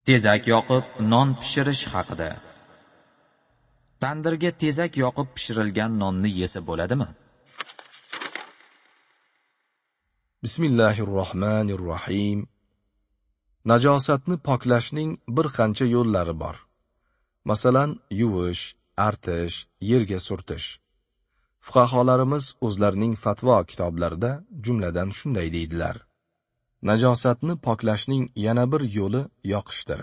Tezak yoqib non pishirish haqida. Tandirga tezak yoqib pishirilgan nonni yesa bo'ladimi? Bismillahirrohmanirrohim. Najosatni poklashning bir qancha yo'llari bor. Masalan, yuvish, artish, yerga surtish. Fuqaholarimiz o'zlarining fatvo kitoblarida jumladan shunday deydilar. Najosatni poklashning yana bir yo'li yoqishdir.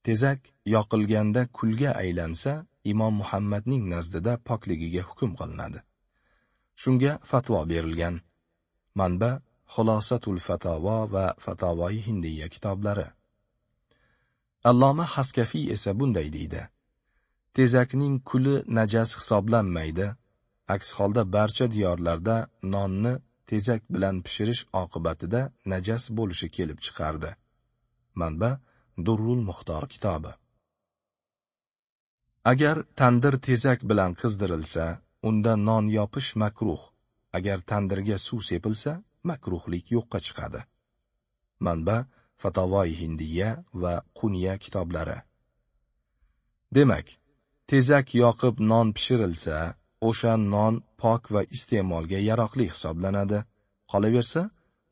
Tezak yoqilganda kulga aylansa, Imom Muhammadning nazdida pokligiga hukm qilinadi. Shunga fatvo berilgan. Manba: Xulosatul Fatavo va Fatavoi Hindiya kitoblari. Alloma Haskafiy esa bunday deydi: Tezakning kuli najas hisoblanmaydi. Aks holda barcha diyorlarda nonni tezak bilan pishirish oqibatida najas bo'lishi kelib chiqardi. Manba: Durrul Muxtor kitobi. Agar tandir tezak bilan qizdirilsa, unda non yopish makruh. Agar tandirga suv sepilsa, makruhlik yo'qqa chiqadi. Manba: Fatavoi Hindiya va Qunya kitoblari. Demak, tezak yoqib non pishirilsa, o'sha non pok va iste'molga yaroqli hisoblanadi. Qolaversa,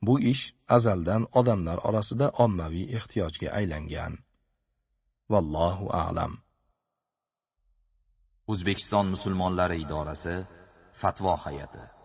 bu ish azaldan odamlar orasida ommaviy ehtiyojga aylangan. Vallohu a'lam. O'zbekiston musulmonlari idorasi Fatvo hay'ati.